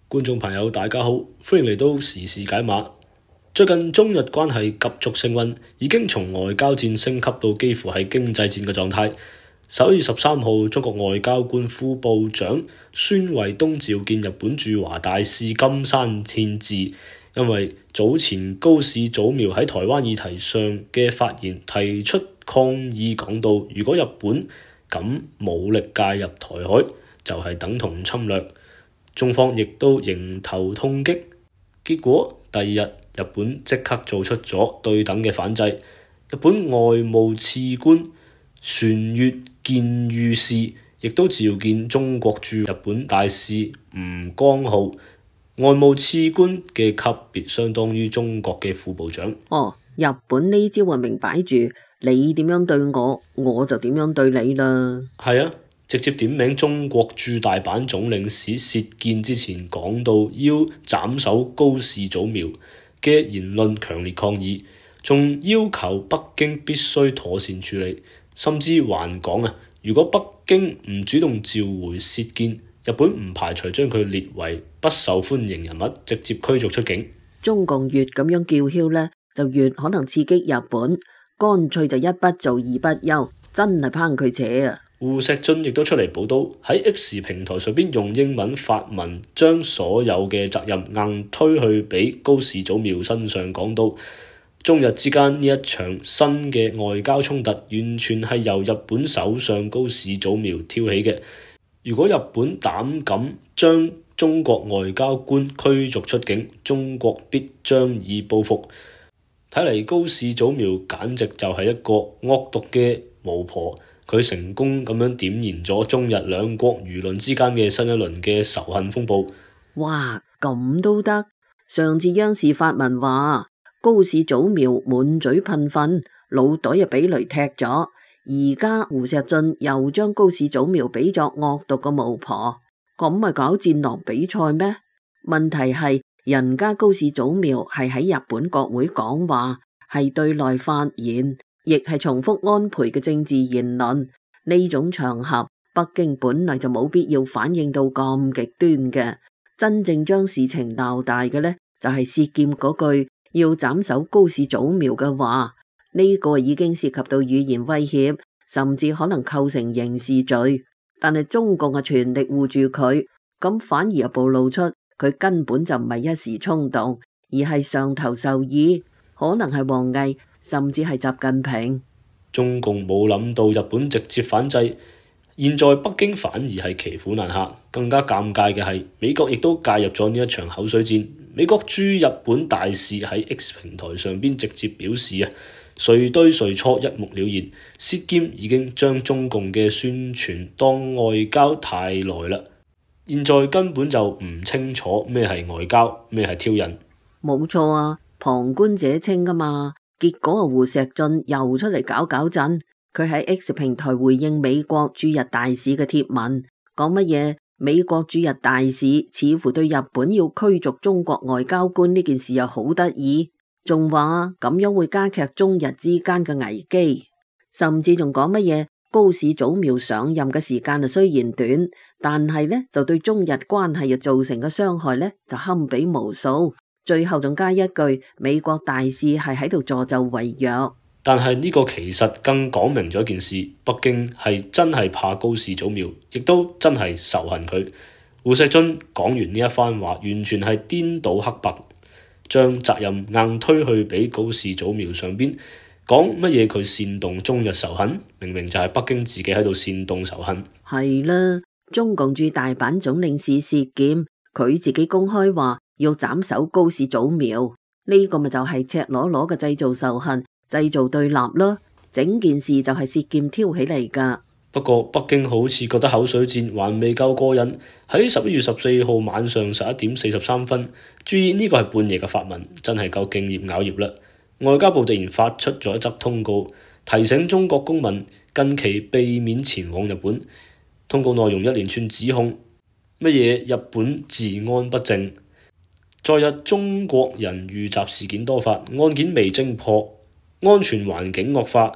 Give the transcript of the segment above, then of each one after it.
觀眾朋友大家好，歡迎嚟到時事解碼。最近中日關係急速升溫，已經從外交戰升級到幾乎係經濟戰嘅狀態。11月13號，中國外交官副部長孫衛東召見日本駐華大使金山憲治，因為早前高市早苗喺台灣議題上嘅發言提出抗議，講到如果日本敢武力介入台海，就係等同侵略。中方亦都迎頭痛擊，結果第二日日本即刻做出咗對等嘅反制。日本外務次官船越健裕士亦都召見中國駐日本大使吳江浩，外務次官嘅級別相當於中國嘅副部長。日本呢招啊明擺住，你點樣對我，我就點樣對你啦。係啊。直接點名中國駐大阪總領事薛健之前講到要斬首高市早苗嘅言論強烈抗議，仲要求北京必須妥善處理，甚至還講如果北京唔主動召回薛健，日本唔排除將佢列為不受歡迎人物，直接驅逐出境。中共越咁樣叫囂呢，就越可能刺激日本，乾脆就一不做二不休，真係拚佢扯啊！胡錫進亦都出嚟報道，喺 X 平台上邊用英文發文，將所有嘅責任硬推去俾高市早苗身上，講到中日之間呢一場新嘅外交衝突，完全係由日本首相高市早苗挑起嘅。如果日本膽敢將中國外交官驅逐出境，中國必將以報復。睇嚟高市早苗簡直就係一個惡毒嘅巫婆。佢成功咁樣點燃咗中日兩國輿論之間嘅新一輪嘅仇恨風暴。哇，咁都得？上次央視發文話高市早苗滿嘴噴糞，腦袋又俾雷踢咗，而家胡錫進又將高市早苗比作惡毒嘅巫婆，咁咪搞戰狼比賽咩？問題係人家高市早苗係喺日本國會講話，係對內發言，亦係重複安倍嘅政治言論，呢種場合北京本來就冇必要反應到咁極端嘅。真正將事情鬧大嘅呢，就係薛健嗰句要斬首高市早苗嘅話，呢個已經涉及到語言威脅，甚至可能構成刑事罪。但係中共嘅全力護住佢，咁反而又暴露出佢根本就唔係一時衝動，而係上頭授意，可能係王毅，甚至係習近平。中共冇諗到日本直接反制，現在北京反而係騎虎難下。更加尷尬嘅係美國亦都介入咗呢一場口水戰。美國駐日本大使喺 X 平台上邊直接表示誰對誰錯一目了然。薛健已經將中共嘅宣傳當外交太耐啦，現在根本就唔清楚咩係外交，咩係挑釁。冇錯啊，旁觀者清噶嘛。結果胡錫進又出嚟搞震，佢喺 X 平台回應美國駐日大使嘅貼文，講乜嘢？美國駐日大使似乎對日本要驅逐中國外交官呢件事又好得意，仲話咁樣會加劇中日之間嘅危機，甚至仲講乜嘢？高市早苗上任嘅時間雖然短，但係呢就對中日關係又造成嘅傷害呢就堪比無數。最後仲加一句，美國大使係喺度助紂為虐。但係呢個其實更講明咗一件事，北京係真係怕高市早苗，亦都真係仇恨佢。胡錫進講完呢一番話，完全係顛倒黑白，將責任硬推去俾高市早苗上邊，講乜嘢佢煽動中日仇恨，明明就係北京自己喺度煽動仇恨。係啦，中共駐大阪總領事薛健，佢自己公開話要斬首高市早苗，呢個咪就係赤裸裸嘅製造仇恨、製造對立咯。整件事就係薛健挑起嚟噶。不過北京好似覺得口水戰還未夠過癮，喺11月14號晚上11點43分，注意呢個係半夜嘅發文，真係夠敬業咬業啦。外交部突然發出咗一則通告，提醒中國公民近期避免前往日本。通告內容一連串指控，乜嘢日本治安不正，昨日中國人遇襲事件多發，案件未偵破，安全環境惡化。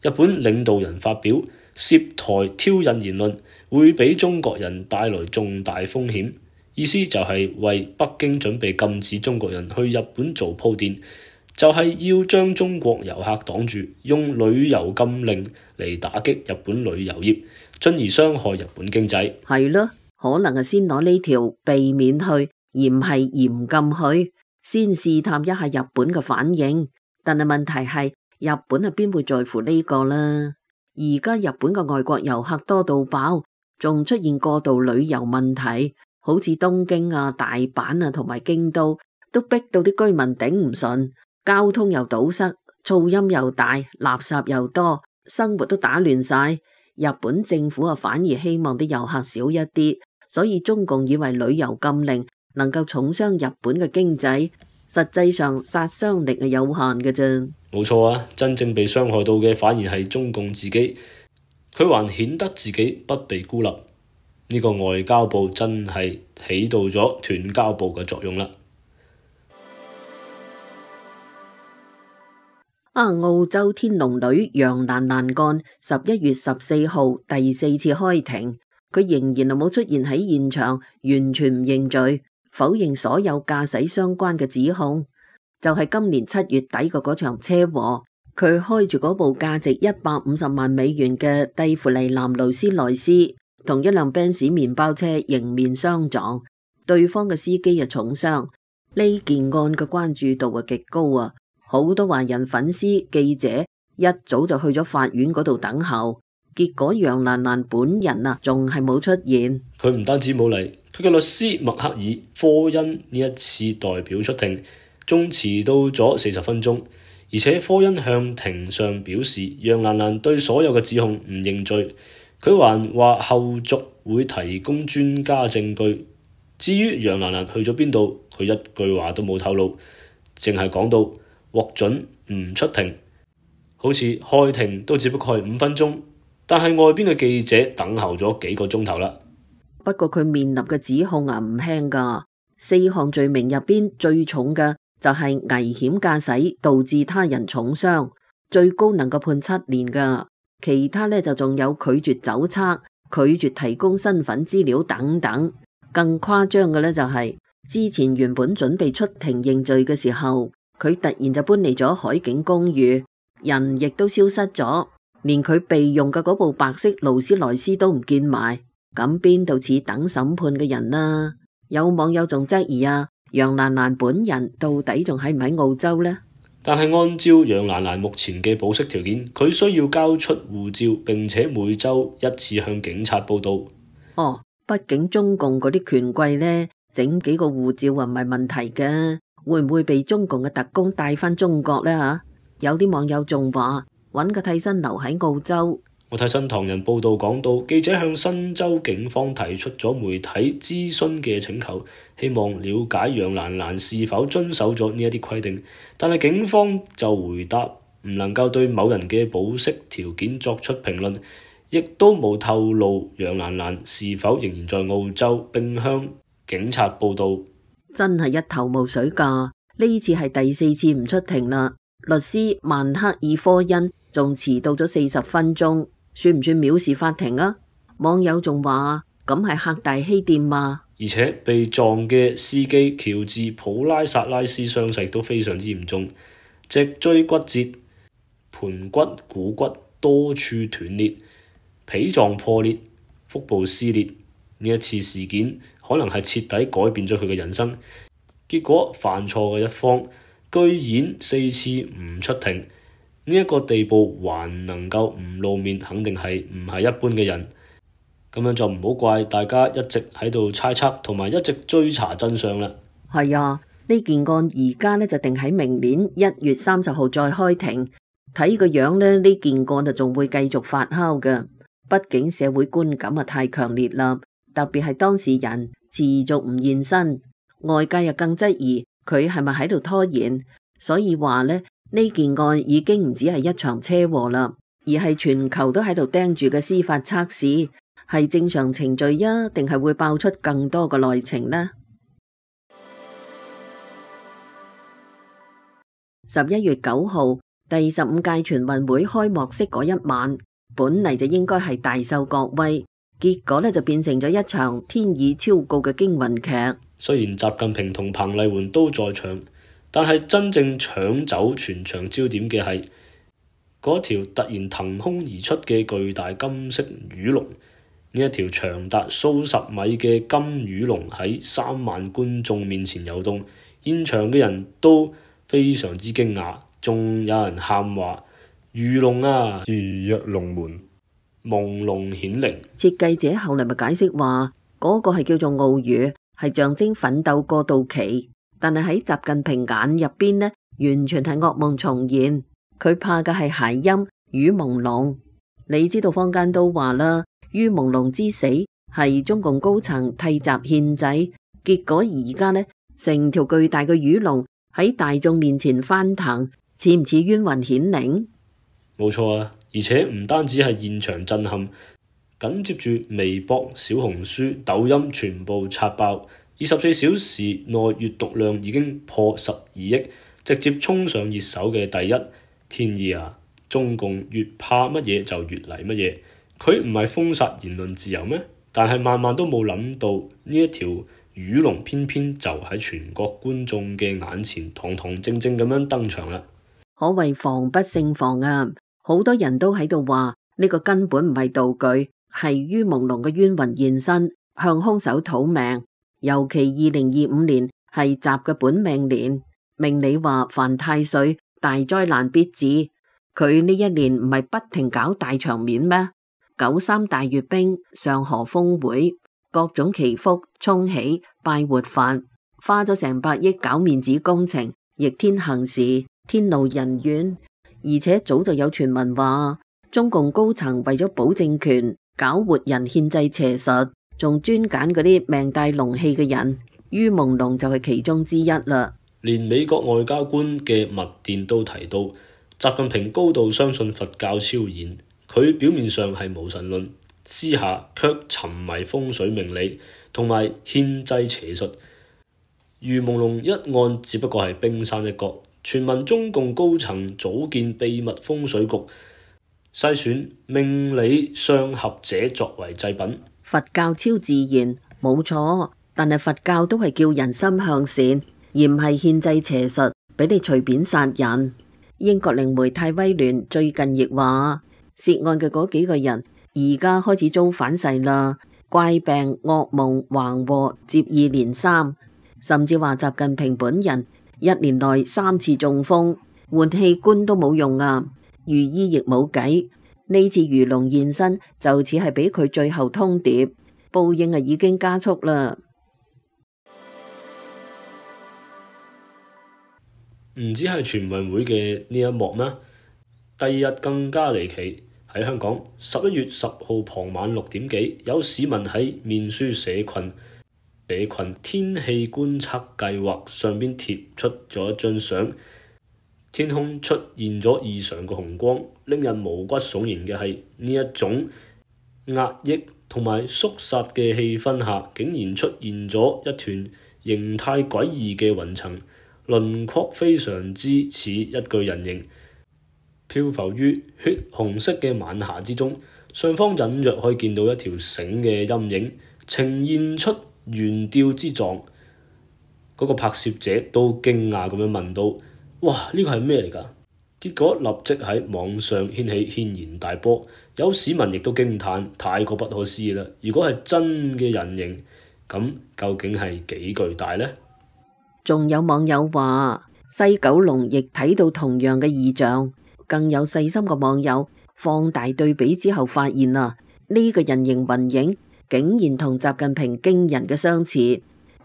日本領導人發表涉台挑釁言論會俾中國人帶來重大風險。意思就係為北京準備禁止中國人去日本做鋪墊，就係要將中國遊客擋住，用旅遊禁令嚟打擊日本旅遊業，進而傷害日本經濟。係咯，可能係先攞呢條避免去，而唔係嚴禁去，先試探一下日本嘅反應。但係問題係，日本係邊會在乎呢個啦？而家日本嘅外國遊客多到爆，仲出現過度旅遊問題，好似東京啊、大阪啊同埋京都，都逼到啲居民頂唔順，交通又堵塞，噪音又大，垃圾又多，生活都打亂晒。日本政府啊反而希望啲遊客少一啲，所以中共以為旅遊禁令能夠重傷日本嘅經濟，實際上殺傷力係有限嘅啫。冇錯啊，真正被傷害到嘅反而係中共自己，佢還顯得自己不被孤立。呢個外交部真係起到咗斷交部嘅作用啦。澳洲天龍女楊蘭蘭案11月14號第4次開庭，佢仍然係冇出現喺現場，完全唔認罪，否認所有駕駛相關嘅指控。就係今年7月底嘅嗰場車禍，佢開住嗰部價值150萬美元嘅蒂芙尼藍勞斯萊斯，同一輛賓士麵包車迎面相撞，對方嘅司機啊重傷。呢件案嘅關注度啊極高啊，好多華人粉絲、記者一早就去咗法院嗰度等候，結果楊蘭蘭本人啊仲係冇出現。佢唔單止冇嚟，佢嘅律師麥克爾科恩呢一次代表出庭，仲遲到咗40分鐘，而且科恩向庭上表示楊蘭蘭對所有嘅指控唔認罪，佢還話後續會提供專家證據。至於楊蘭蘭去咗邊度，佢一句話都冇透露，淨係講到獲准唔出庭，好似開庭都只不過係5分鐘，但係外邊嘅記者等候咗幾個鐘頭啦。不過佢面臨嘅指控啊唔輕㗎，4項罪名入邊最重嘅就係危險駕駛導致他人重傷，最高能夠判7年㗎。其他呢就仲有拒絕酒測、拒絕提供身份資料等等。更誇張嘅呢就係之前原本準備出庭認罪嘅時候，佢突然就搬嚟咗海景公寓，人亦都消失咗，連佢備用嘅嗰部白色勞斯萊斯都唔見埋。咁邊度似等審判嘅人啊？有網友仲質疑啊，楊蘭蘭本人到底仲喺唔喺澳洲呢？但係按照楊蘭蘭目前嘅保釋條件，佢需要交出護照，並且每週1次向警察報到。哦，畢竟中共嗰啲權貴呢，整幾個護照啊唔係問題嘅，會唔會被中共嘅特工帶返中國呢？吓，有啲網友仲話揾個替身留喺澳洲。我睇新唐人報道講到，記者向新州警方提出咗媒體諮詢嘅請求，希望了解楊蘭蘭是否遵守咗呢一啲規定，但係警方就回答唔能夠對某人嘅保釋條件作出評論，亦都冇透露楊蘭蘭是否仍然在澳洲並向警察報到。真係一頭霧水㗎，呢次係第4次唔出庭啦。律師曼克爾科恩仲遲到咗40分鐘，算唔算藐視法庭啊？網友仲話咁係客大欺店嘛。而且被撞嘅司機喬治普拉薩拉斯傷勢都非常之嚴重，脊椎骨折、盤骨、股骨多處斷裂、脾臟破裂、腹部撕裂。呢一次事件可能係徹底改變咗佢嘅人生。結果犯錯嘅一方居然4次唔出庭，呢一個地步還能夠唔露面，肯定係唔係一般嘅人。咁樣就唔好怪大家一直喺度猜測同埋一直追查真相啦。係啊，呢件案而家呢就定喺明年1月30號再開庭。睇個樣呢件案就仲會繼續發酵嘅。畢竟社會觀感啊太強烈啦，特別係當事人持續唔現身，外界又更質疑佢係咪喺度拖延。所以話呢件案已經唔止係一場車禍啦，而係全球都喺度盯住嘅司法測試，係正常程序啊，定係會爆出更多嘅內情呢？11月9號，第15屆全運會開幕式嗰一晚，本嚟就應該係大秀國威，結果呢就變成咗一場天意超高嘅驚魂劇。雖然習近平同彭麗媛都在場，但係真正搶走全場焦點嘅係嗰條突然騰空而出嘅巨大金色魚龍。呢一條長達數十米嘅金魚龍喺3萬觀眾面前遊動，現場嘅人都非常之驚訝，仲有人喊話：魚龍啊，如躍龍門，朦朧顯靈。設計者後嚟咪解釋話，嗰個係叫做奧魚，係象徵奮鬥過渡期。但係喺習近平眼入邊呢，完全係噩夢重現。佢怕嘅係諧音魚朦朧。你知道坊間都話啦，魚朦朧之死係中共高層替習獻祭，結果而家呢，成條巨大嘅魚龍喺大眾面前翻騰，似唔似冤魂顯靈？冇錯啊，而且唔單止係現場震撼，緊接住微博、小紅書、抖音全部刷爆，24小時內閱讀量已經破12億，直接衝上熱搜嘅第一。天意啊！中共越怕乜嘢就越嚟乜嘢，佢唔係封殺言論自由咩？但係萬萬都冇諗到呢一條魚龍偏偏就喺全國觀眾嘅眼前堂堂正正咁樣登場啦。可謂防不勝防啊！好多人都喺度話呢個根本唔係道具，係魚朦朧嘅冤魂現身，向兇手討命。尤其2025年係習嘅本命年，命理話犯太歲，大災難必至。佢呢一年唔係不停搞大場面咩？93大閱兵、上河峰會、各種祈福、沖喜、拜活佛，花咗成百億搞面子工程，逆天行事，天怒人怨。而且早就有傳聞話，中共高層為咗保政權，搞活人獻祭邪術，仲專揀嗰啲命帶龍氣嘅人，魚朦朧就係其中之一啦。連美國外交官嘅密電都提到，習近平高度相信佛教超然，佢表面上係無神論，私下卻沉迷風水命理同埋獻祭邪術。魚朦朧一案只不過係冰山一角，傳聞中共高層組建秘密風水局，篩選命理相合者作為祭品。佛教超自然冇錯，但係佛教都係叫人心向善，而唔係獻祭邪術俾你隨便殺人。英國靈媒泰威聯最近亦話，涉案嘅嗰幾個人而家開始遭反噬啦，怪病、噩夢、橫禍接二連三，甚至話習近平本人一年內3次中風，換器官都冇用啊，御醫亦冇計。呢次魚龍現身就似係俾佢最後通牒，報應已經加速啦。唔止係全運會嘅呢一幕咩？第二日更加離奇，喺香港11月10號傍晚6點幾，有市民喺面書社群天氣觀測計劃上邊貼出咗一張相，天空出現咗異常嘅紅光，令人毛骨悚然嘅係呢一種壓抑同埋肅殺嘅氣氛下，竟然出現咗一團形態詭異嘅雲層。輪廓非常之似一具人形，漂浮於血紅色嘅晚霞之中。上方隱約可以見到一條繩嘅陰影，呈現出懸吊之狀。嗰個拍攝者都驚訝咁樣問到：哇，呢個係咩嚟㗎？結果立即喺網上掀起軒然大波，有市民亦都驚嘆，太過不可思議啦！如果係真嘅人形，咁究竟係幾巨大呢？仲有網友話西九龍亦睇到同樣嘅異象，更有細心嘅網友放大對比之後發現啊，呢個人形雲影竟然同習近平驚人嘅相似。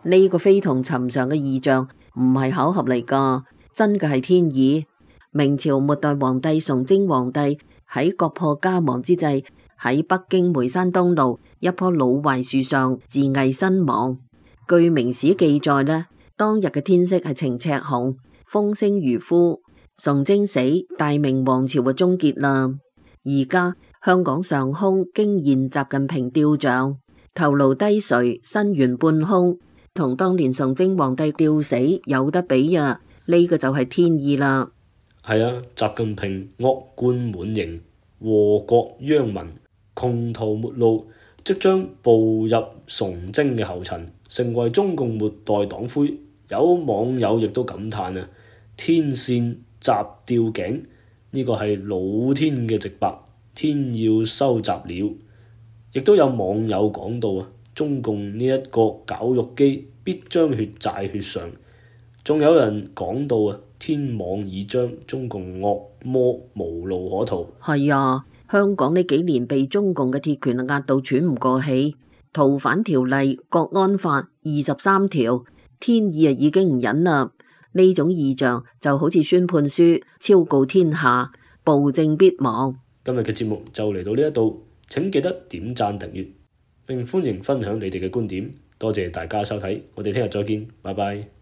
呢個非同尋常嘅異象唔係巧合嚟噶，真嘅係天意。明朝末代皇帝崇禎皇帝喺國破家亡之際，喺北京梅山東路一棵老槐樹上自縊身亡。據明史記載呢，當日嘅天色係晴赤紅，風聲如呼。崇禎死，大明王朝嘅終結啦。而家香港上空驚現習近平雕像，頭顱低垂，身圓半空，同當年崇禎皇帝吊死有得比啊！呢個就係天意啦。係啊，習近平惡貫滿盈，禍國殃民，窮途末路，即將步入崇禎嘅後塵，成為中共末代黨魁。有網友亦都感嘆啊，天線閘吊頸，呢個係老天嘅直白，天要收閘了。亦都有網友講到啊，中共呢一個絞肉機必將血債血償。仲有人講到啊，天網已將，中共惡魔無路可逃。係啊，香港呢幾年被中共嘅鐵拳壓到喘唔過氣，逃犯條例、國安法、23條，天意啊已經唔忍啦。呢種異象就好似宣判書昭告天下，暴政必亡。今日嘅節目就嚟到呢一度，請記得點讚訂閱，並歡迎分享你哋嘅觀點。多謝大家收睇，我哋聽日再見，拜拜。